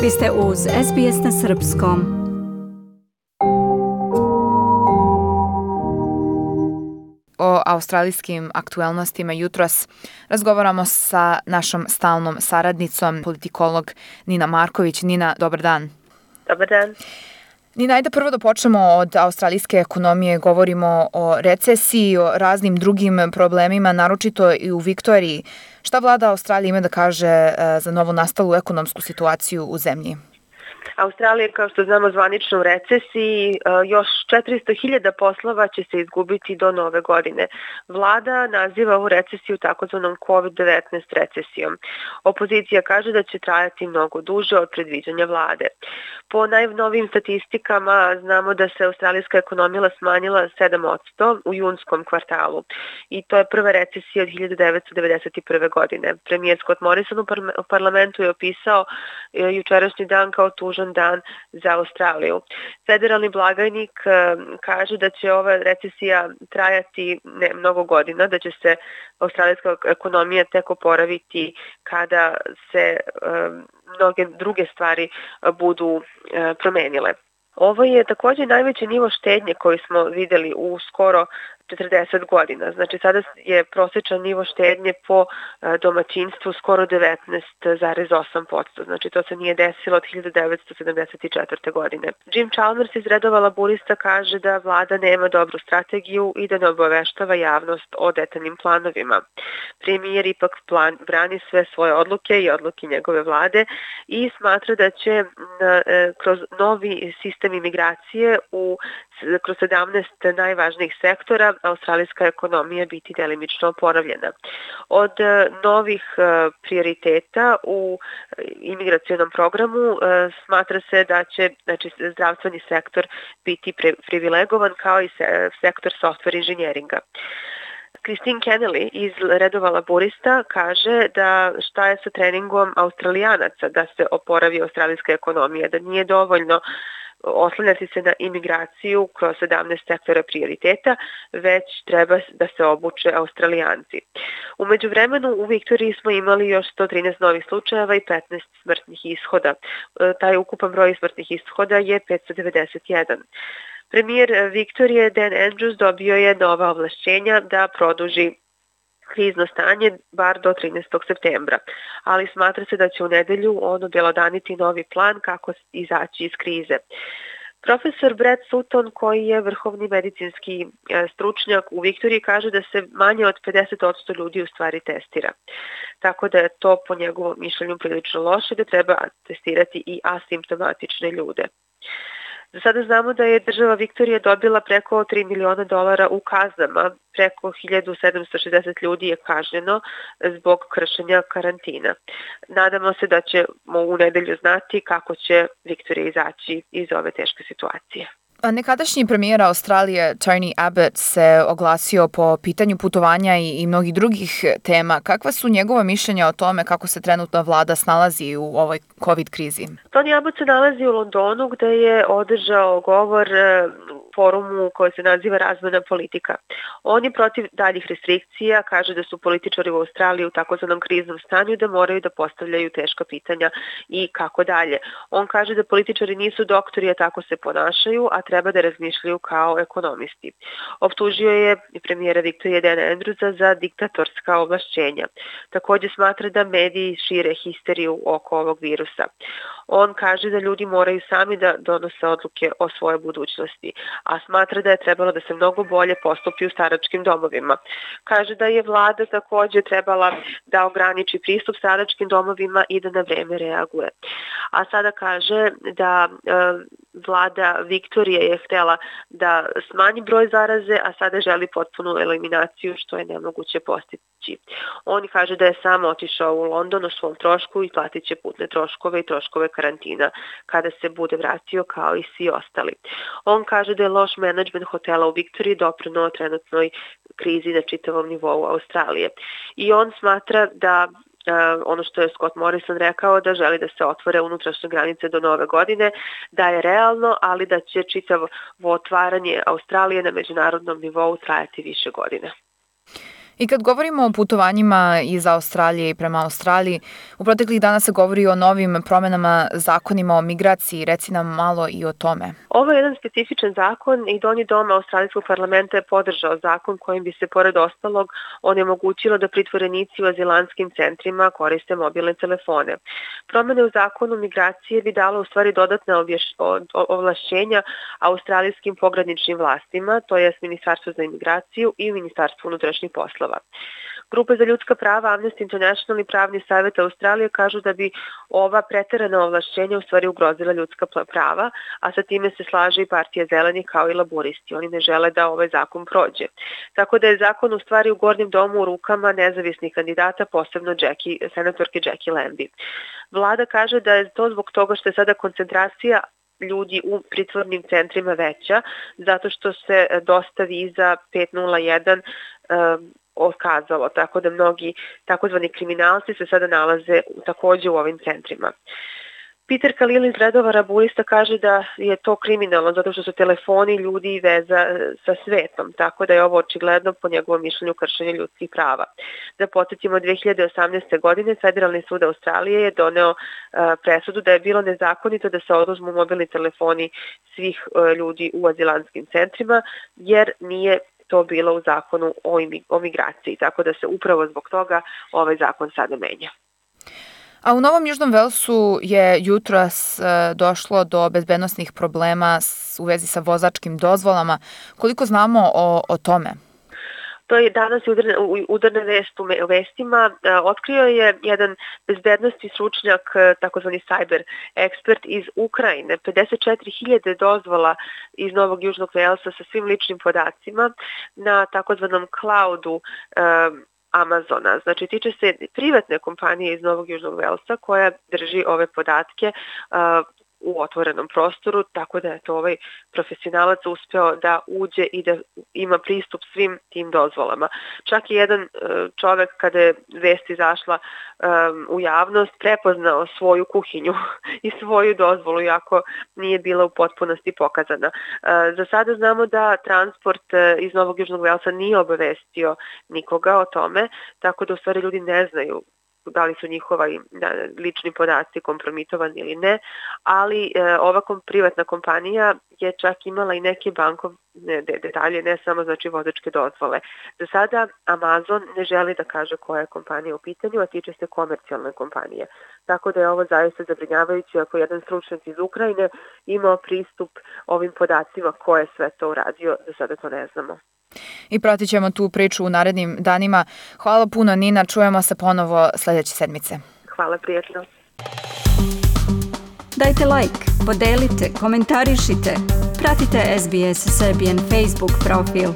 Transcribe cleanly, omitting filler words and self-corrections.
Vi ste uz SBS na Srpskom. O australijskim aktuelnostima jutros razgovaramo sa našom stalnom saradnicom, politikolog Nina Marković. Nina, dobar dan. Dobar dan. Nina, ajde prvo da počnemo od australijske ekonomije. Govorimo o recesiji, o raznim drugim problemima, naročito i u Viktoriji. Šta vlada Australije ima da kaže za novo nastalu ekonomsku situaciju u zemlji? Australija, kao što znamo, zvanično u recesiji, još 400.000 poslova će se izgubiti do nove godine. Vlada naziva ovu recesiju takozvanom COVID-19 recesijom. Opozicija kaže da će trajati mnogo duže od predviđanja vlade. Po najnovijim statistikama znamo da se australijska ekonomija smanjila 7% u junskom kvartalu i to je prva recesija od 1991. godine. Premijer Scott Morrison u parlamentu je opisao jučerašnji dan kao tužan dan za Australiju. Federalni blagajnik kaže da će ova recesija trajati mnogo godina, da će se australijska ekonomija tek oporaviti kada se mnoge druge stvari budu promenile. Ovo je također najveći nivo štednje koji smo videli u skoro 40 godina. Znači sada je prosječan nivo štednje po domaćinstvu skoro 19,8%. Znači to se nije desilo od 1974. godine. Jim Chalmers iz redova laburista kaže da vlada nema dobru strategiju i da ne obaveštava javnost o detaljnim planovima. Premijer ipak brani sve svoje odluke i odluke njegove vlade i smatra da će kroz novi sistem imigracije kroz 17 najvažnijih sektora australijska ekonomija biti delimično oporavljena. Od novih prioriteta u imigracionom programu smatra se da će zdravstveni sektor biti privilegovan kao i sektor software inženjeringa. Christine Kennelly iz redova laburista kaže da šta je sa treningom Australijanaca da se oporavi australijska ekonomija, da nije dovoljno oslanjati se na imigraciju kroz 17 sektora prioriteta, već treba da se obuče Australijanci. U međuvremenu u Viktoriji smo imali još 113 novih slučajeva i 15 smrtnih ishoda. Taj ukupan broj smrtnih ishoda je 591. Premijer Viktorije Dan Andrews dobio je nova ovlašćenja da produži krizno stanje bar do 13. septembra, ali smatra se da će u nedelju on objelodaniti novi plan kako izaći iz krize. Profesor Brett Sutton, koji je vrhovni medicinski stručnjak u Viktoriji, kaže da se manje od 50% ljudi u stvari testira. Tako da je to po njegovom mišljenju prilično loše, da treba testirati i asimptomatične ljude. Za sada znamo da je država Viktorija dobila preko $3 miliona u kaznama, preko 1760 ljudi je kažnjeno zbog kršenja karantina. Nadamo se da ćemo u nedelju znati kako će Viktorija izaći iz ove teške situacije. Nekadašnji premijer Australije Tony Abbott se oglasio po pitanju putovanja i mnogih drugih tema. Kakva su njegova mišljenja o tome kako se trenutna vlada snalazi u ovoj COVID krizi? Tony Abbott se nalazi u Londonu gde je održao govor forumu koji se naziva Razvojna politika. On je protiv daljih restrikcija, kaže da su političari u Australiji u takozvanom kriznom stanju, da moraju da postavljaju teška pitanja i kako dalje. On kaže da političari nisu doktori, a tako se ponašaju, a treba da razmišljaju kao ekonomisti. Optužio je premijera Viktorije Dana Andrewsa za diktatorska ovlašćenja. Također smatra da mediji šire histeriju oko ovog virusa. On kaže da ljudi moraju sami da donose odluke o svojoj budućnosti, a smatra da je trebalo da se mnogo bolje postupi u staračkim domovima. Kaže da je vlada također trebala da ograniči pristup staračkim domovima i da na vreme reaguje. A sada kaže da vlada Viktorije je htjela da smanji broj zaraze, a sada želi potpunu eliminaciju, što je nemoguće postići. On kaže da je sam otišao u London o svom trošku i platit će putne troškove i troškove karantina kada se bude vratio kao i svi ostali. On kaže da je loš menadžment hotela u Viktoriji doprineo trenutnoj krizi na čitavom nivou Australije. I on smatra da ono što je Scott Morrison rekao, da želi da se otvore unutrašnje granice do nove godine, da je realno, ali da će čitavo otvaranje Australije na međunarodnom nivou trajati više godina. I kad govorimo o putovanjima iz Australije i prema Australiji, u proteklih dana se govori o novim promenama zakonima o migraciji. Reci nam malo i o tome. Ovo je jedan specifičan zakon i Donji dom Australijskog parlamenta je podržao zakon kojim bi se, pored ostalog, onemogućilo da pritvorenici u azilantskim centrima koriste mobilne telefone. Promene u zakonu migracije bi dalo u stvari dodatne ovlašćenja australijskim pograničnim vlastima, to jest Ministarstvo za imigraciju i Ministarstvo unutrašnjih poslova. Grupe za ljudska prava, Amnesty International i Pravni savjet Australije kažu da bi ova preterana ovlašćenja u stvari ugrozila ljudska prava, a sa time se slaže i Partija zelenih kao i laboristi. Oni ne žele da ovaj zakon prođe. Tako da je zakon u stvari u Gornjem domu u rukama nezavisnih kandidata, posebno senatorke Jackie Lambie. Vlada kaže da je to zbog toga što je sada koncentracija ljudi u pritvornim centrima veća, zato što se dosta viza 501 otkazalo, tako da mnogi takozvani kriminalci se sada nalaze takođe u ovim centrima. Peter Khalil iz redova laborista kaže da je to kriminalno zato što su telefoni ljudi i veza sa svetom, tako da je ovo očigledno po njegovom mišljenju kršenje ljudskih prava. Da podsjetimo, 2018. godine Federalni sud Australije je doneo presudu da je bilo nezakonito da se oduzmu mobilni telefoni svih ljudi u azilantskim centrima, jer nije to bilo u zakonu o migraciji, tako da se upravo zbog toga ovaj zakon sada menja. A u Novom Južnom Velsu je jutros došlo do bezbednosnih problema u vezi sa vozačkim dozvolama. Koliko znamo o tome? To je danas udarna vest u vestima. Otkrio je jedan bezbednostni stručnjak, takozvani cyber ekspert iz Ukrajine, 54.000 dozvola iz Novog Južnog Velsa sa svim ličnim podacima na takozvanom cloudu Amazona. Znači, tiče se privatne kompanije iz Novog Južnog Velsa koja drži ove podatke u otvorenom prostoru, tako da je to ovaj profesionalac uspeo da uđe i da ima pristup svim tim dozvolama. Čak i jedan čovek, kada je vest izašla u javnost, prepoznao svoju kuhinju i svoju dozvolu, iako nije bila u potpunosti pokazana. Za sada znamo da transport iz Novog Južnog Velsa nije obavestio nikoga o tome, tako da u stvari ljudi ne znaju da li su njihovi lični podaci kompromitovani ili ne, ali ova privatna kompanija je čak imala i neke bankovne detalje, ne samo znači vozačke dozvole. Za sada Amazon ne želi da kaže koja je kompanija u pitanju, a tiče se komercijalne kompanije. Tako da je ovo zaista zabrinjavajuće ako jedan stručnjak iz Ukrajine imao pristup ovim podacima ko je sve to uradio, za sada to ne znamo. I pratit ćemo tu priču u narednim danima. Hvala puno, Nina. Čujemo se ponovo sledeće sedmice. Hvala, prijatno. Dajte like, podelite, komentarišite. Pratite SBS Serbian Facebook profil.